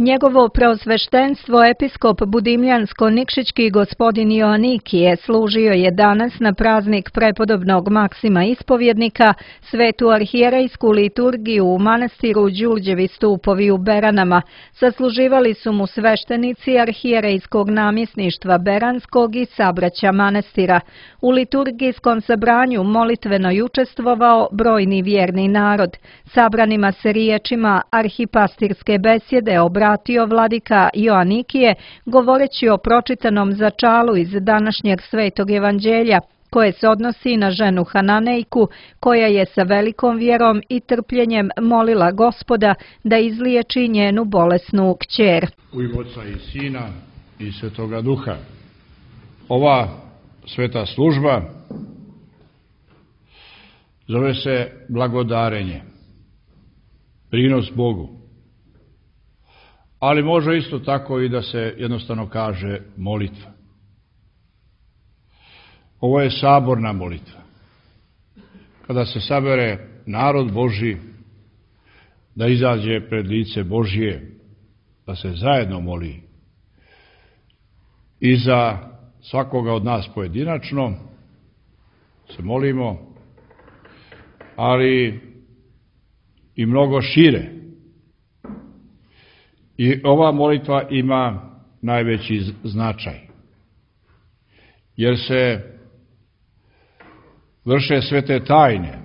Njegovo preosveštenstvo episkop Budimljansko-Nikšićki gospodin Joanikije služio je danas na praznik prepodobnog Maksima Ispovjednika svetu arhijerejsku liturgiju u manastiru Đurđevi stupovi u Beranama. Sasluživali su mu sveštenici arhijerejskog namjesništva Beranskog i sabraća manastira. U liturgijskom sabranju molitveno je učestvovao brojni vjerni narod. Sabranima se riječima arhipastirske besjede obratio vladika Joanikije, govoreći o pročitanom začalu iz današnjeg svetog evanđelja, koje se odnosi na ženu Hananejku, koja je sa velikom vjerom i trpljenjem molila Gospoda da izliječi njenu bolesnu kćer. U ime Oca i Sina i Svetoga Duha. Ova sveta služba zove se blagodarenje, prinos Bogu. Ali može isto tako i da se jednostavno kaže molitva. Ovo je saborna molitva. Kada se sabere narod Božji da izađe pred lice Božje, da se zajedno moli i za svakoga od nas pojedinačno se molimo, ali i mnogo šire. I ova molitva ima najveći značaj, jer se vrše svete tajne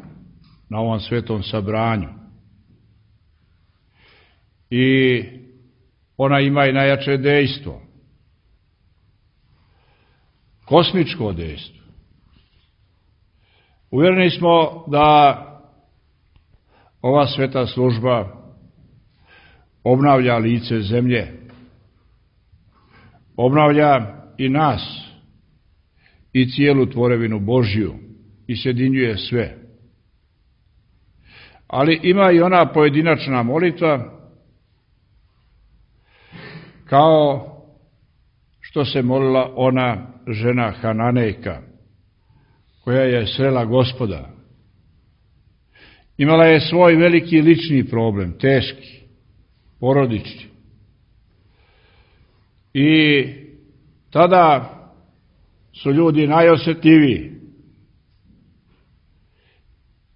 na ovom svetom sabranju. I ona ima i najjače dejstvo, kosmičko dejstvo. Uvjereni smo da ova sveta služba obnavlja lice zemlje, obnavlja i nas i cijelu tvorevinu Božju i sjedinjuje sve. Ali ima i ona pojedinačna molitva, kao što se molila ona žena Hananejka, koja je srela Gospoda. Imala je svoj veliki lični problem, teški, porodični. I tada su ljudi najosjetljiviji,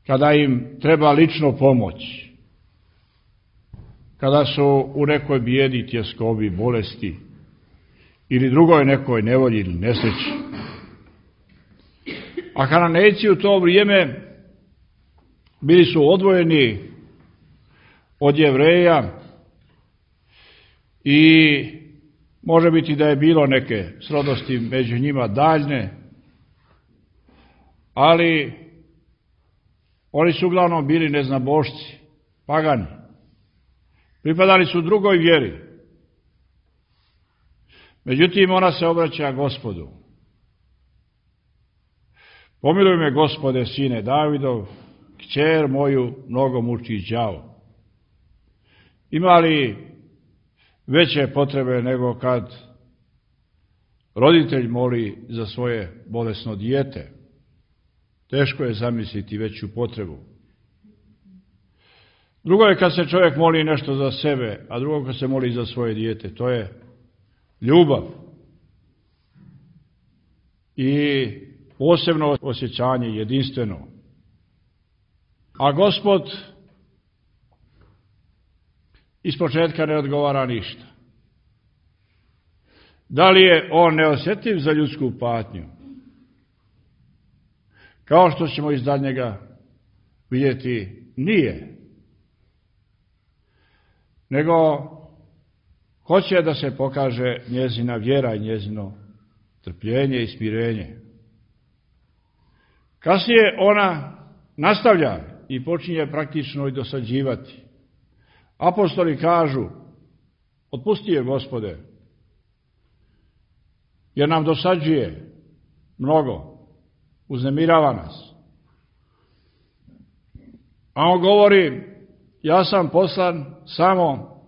kada im treba lično pomoć, kada su u nekoj bijedi, tjeskobi, bolesti ili drugoj nekoj nevolji ili nesreći. A Hananejci u to vrijeme bili su odvojeni od Jevreja i može biti da je bilo neke srodnosti među njima daljne, ali oni su uglavnom bili neznabošci, pagani. Pripadali su drugoj vjeri. Međutim, ona se obraća Gospodu. Pomiluj me, Gospode, sine Davidov, kćer moju mnogo muči đavo. Ima li veće potrebe nego kad roditelj moli za svoje bolesno dijete? Teško je zamisliti veću potrebu. Drugo je kad se čovjek moli nešto za sebe, a drugo kad se moli za svoje dijete. To je ljubav i posebno osjećanje, jedinstveno. A Gospod ispočetka ne odgovara ništa. Da li je on neosjetljiv za ljudsku patnju? Kao što ćemo iz daljnjega vidjeti, nije. Nego hoće da se pokaže njezina vjera i njezino trpljenje i smirenje. Kasnije ona nastavlja i počinje praktično i dosađivati. Apostoli kažu, otpusti je, Gospode, jer nam dosađuje mnogo, uznemirava nas. A on govori, ja sam poslan samo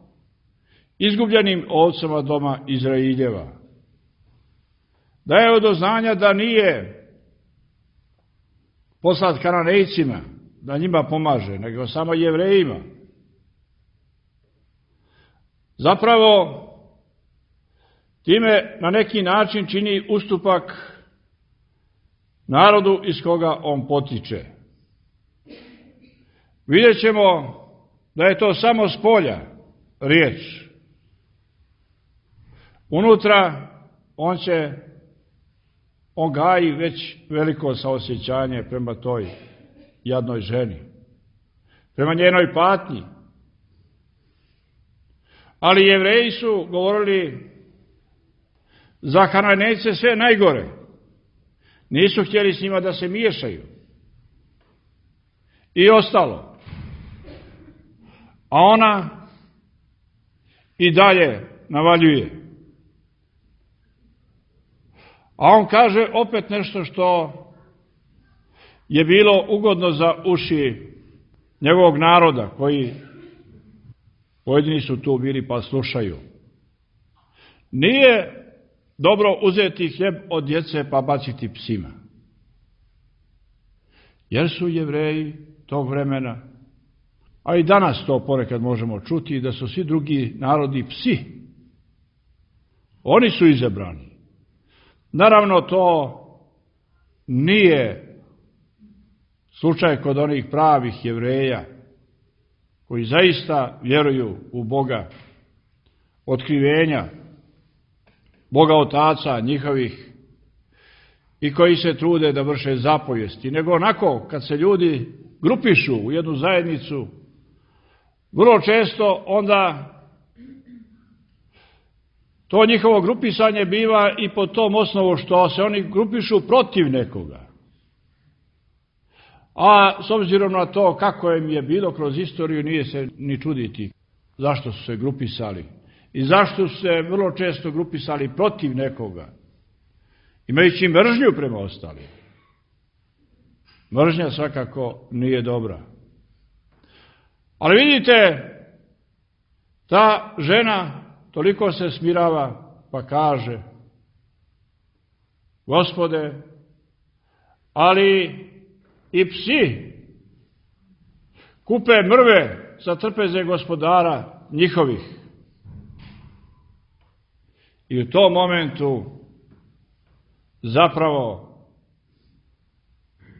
izgubljenim ovcama doma Izraeljeva. Daje do znanja da nije poslat Kananejcima, da njima pomaže, nego samo Jevrejima. zapravo time na neki način čini ustupak narodu iz koga on potiče. Vidjet ćemo da je to samo s polja riječ. Unutra on gaji već veliko saosjećanje prema toj jadnoj ženi, prema njenoj patnji. Ali Jevreji su govorili za Kananejce sve najgore. Nisu htjeli s njima da se miješaju. I ostalo. A ona i dalje navaljuje. A on kaže opet nešto što je bilo ugodno za uši njegovog naroda, koji pojedini su tu bili pa slušaju. Nije dobro uzeti hljeb od djece pa baciti psima. Jer su Jevreji tog vremena, a i danas to ponekad možemo čuti, da su svi drugi narodi psi. Oni su izabrani. Naravno, to nije slučaj kod onih pravih Jevreja, koji zaista vjeruju u Boga otkrivenja, Boga otaca njihovih, i koji se trude da vrše zapovijesti, nego onako kad se ljudi grupišu u jednu zajednicu, vrlo često onda to njihovo grupisanje biva i po tom osnovu što se oni grupišu protiv nekoga. A s obzirom na to kako im je bilo kroz istoriju, nije se ni čuditi zašto su se grupisali i zašto su se vrlo često grupisali protiv nekoga, imajući mržnju prema ostalim. Mržnja svakako nije dobra. Ali vidite, ta žena toliko se smirava pa kaže: Gospode, ali i psi kupe mrve za trpeze gospodara njihovih. I u tom momentu zapravo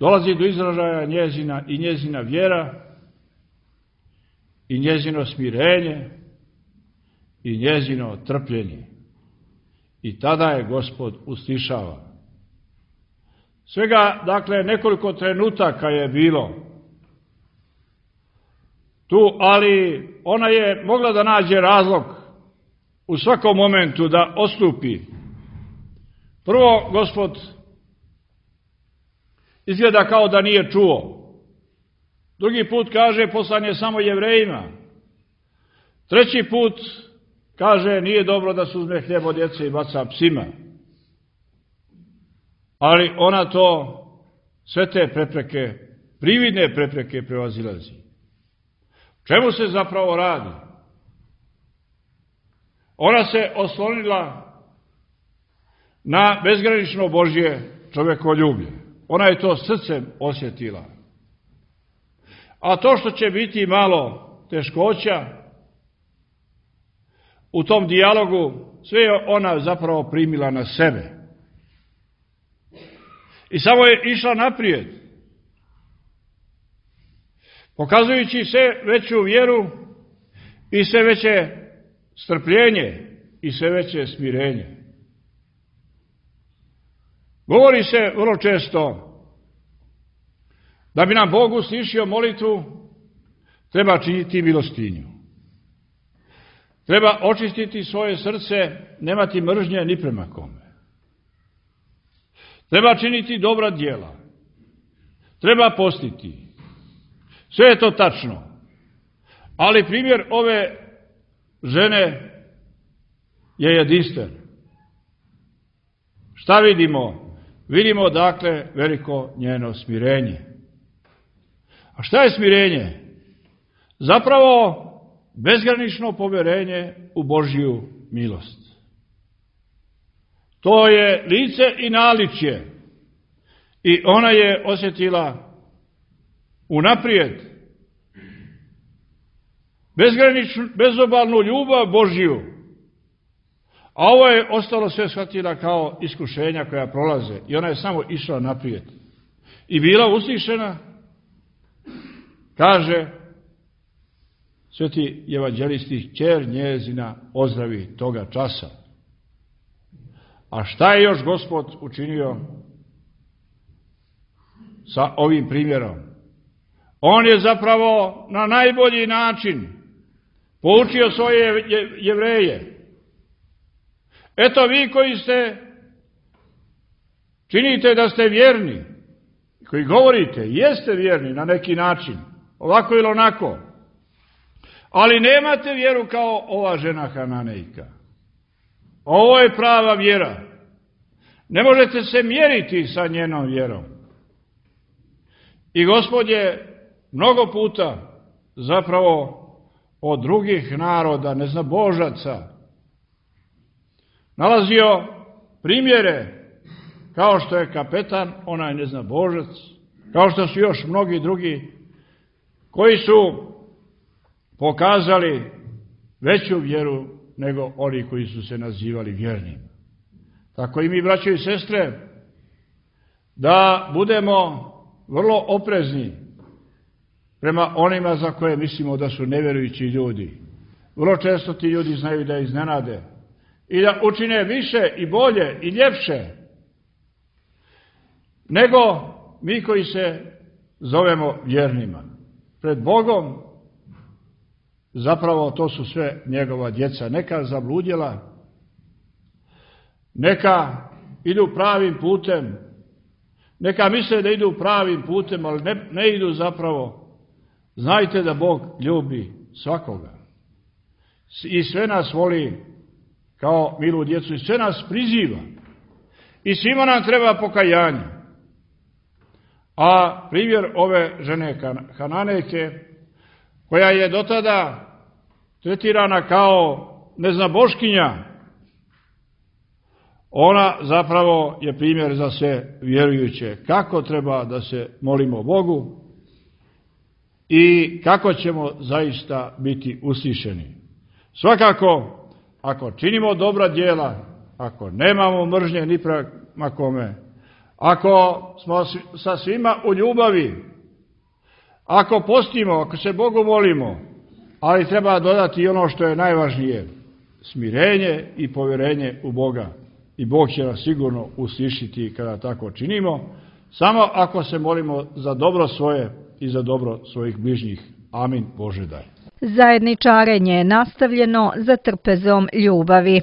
dolazi do izražaja njezina vjera i njezino smirenje i njezino trpljenje. I tada je Gospod uslišava. Svega, dakle, nekoliko trenutaka je bilo tu, ali ona je mogla da nađe razlog u svakom momentu da odstupi. Prvo, Gospod izgleda kao da nije čuo. Drugi put kaže poslan je samo Jevrejima. Treći put kaže nije dobro da se uzme hljeb od djece i baca psima. Ali ona to, sve te prepreke, prividne prepreke prevazilazi. Čemu se zapravo radi? Ona se oslonila na bezgranično Božje čovekoljublje. Ona je to srcem osjetila. A to što će biti malo teškoća u tom dijalogu, sve je ona zapravo primila na sebe. I samo je išla naprijed, pokazujući sve veću vjeru i sve veće strpljenje i sve veće smirenje. Govori se vrlo često da bi nam Bog uslišio molitvu, treba činiti milostinju. Treba očistiti svoje srce, nemati mržnje ni prema kome. Treba činiti dobra djela. Treba postiti. Sve je to tačno. Ali primjer ove žene je jedinstven. Šta vidimo? Vidimo, dakle, veliko njeno smirenje. A šta je smirenje? Zapravo bezgranično povjerenje u Božju milost. To je lice i naličje. I ona je osjetila unaprijed bezgraničnu, bezobalnu ljubav Božju. A ovo je ostalo sve shvatila kao iskušenja koja prolaze. I ona je samo išla naprijed. I bila uslišena, kaže sveti evanđelisti, kćer njezina ozdravi toga časa. A šta je još Gospod učinio sa ovim primjerom? On je zapravo na najbolji način poučio svoje Jevreje. Eto vi koji činite da ste vjerni, koji govorite, jeste vjerni na neki način, ovako ili onako, ali nemate vjeru kao ova žena Hananejka. Ovo je prava vjera. Ne možete se mjeriti sa njenom vjerom. I Gospod je mnogo puta zapravo od drugih naroda, neznabožaca, nalazio primjere kao što je kapetan, onaj neznabožac, kao što su još mnogi drugi koji su pokazali veću vjeru nego oni koji su se nazivali vjernim. Tako i mi, braćo i sestre, da budemo vrlo oprezni prema onima za koje mislimo da su nevjerujući ljudi. Vrlo često ti ljudi znaju da iznenade i da učine više i bolje i ljepše nego mi koji se zovemo vjernima. Pred Bogom zapravo to su sve njegova djeca. Neka zabludjela, neka idu pravim putem, neka misle da idu pravim putem, ali ne idu zapravo. Znajte da Bog ljubi svakoga i sve nas voli kao milu djecu i sve nas priziva i svima nam treba pokajanje. A primjer ove žene Hananejke, koja je do tada tretirana kao neznaboškinja, ona zapravo je primjer za sve vjerujuće kako treba da se molimo Bogu i kako ćemo zaista biti uslišeni. Svakako, ako činimo dobra djela, ako nemamo mržnje ni prema kome, ako smo sa svima u ljubavi, ako postimo, ako se Bogu molimo, ali treba dodati i ono što je najvažnije, smirenje i povjerenje u Boga. I Bog će nas sigurno uslišiti kada tako činimo, samo ako se molimo za dobro svoje i za dobro svojih bližnjih. Amin. Bože daj. Zajedničarenje je nastavljeno za trpezom ljubavi.